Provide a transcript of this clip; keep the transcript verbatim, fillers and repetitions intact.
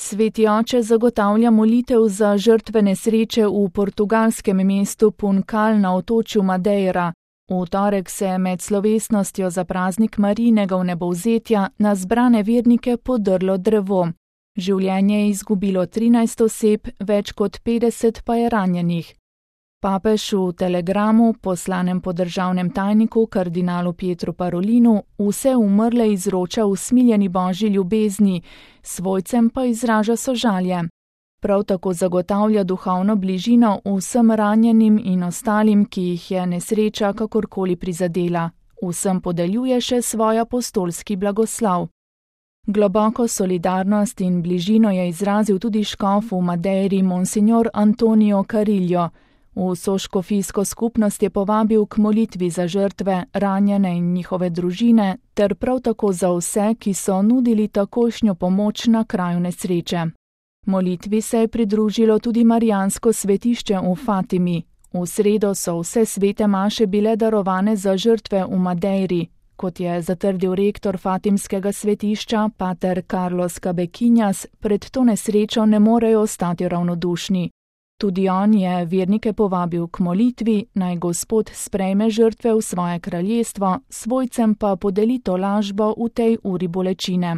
Sveti oče zagotavlja molitev za žrtve nesreče v portugalskem mestu Puncal na otočju Madeira. V torek se je med slovesnostjo za praznik Marijinega vnebovzetja na zbrane vernike podrlo drevo. Življenje je izgubilo trinajst oseb, več kot petdeset pa je ranjenih. Papež v telegramu, poslanem po državnem tajniku kardinalu Pietru Parolinu, vse umrle izroča v smiljeni božji ljubezni, svojcem pa izraža sožalje. Prav tako zagotavlja duhovno bližino vsem ranjenim in ostalim, ki jih je nesreča kakorkoli prizadela. Vsem podeljuje še svoj apostolski blagoslov. Globoko solidarnost in bližino je izrazil tudi škof v Madeiri monsignor Antonio Carillo. V soškofijsko skupnost je povabil k molitvi za žrtve, ranjene in njihove družine, ter prav tako za vse, ki so nudili takošnjo pomoč na kraju nesreče. Molitvi se je pridružilo tudi marijansko svetišče v Fatimi. V sredo so vse svete maše bile darovane za žrtve v Madeiri. Kot je zatrdil rektor fatimskega svetišča, pater Carlos Cabequinhas, pred to nesrečo ne morejo ostati ravnodušni. Tudi on je vernike povabil k molitvi, naj Gospod sprejme žrtve v svoje kraljestvo, svojcem pa podeli tolažbo v tej uri bolečine.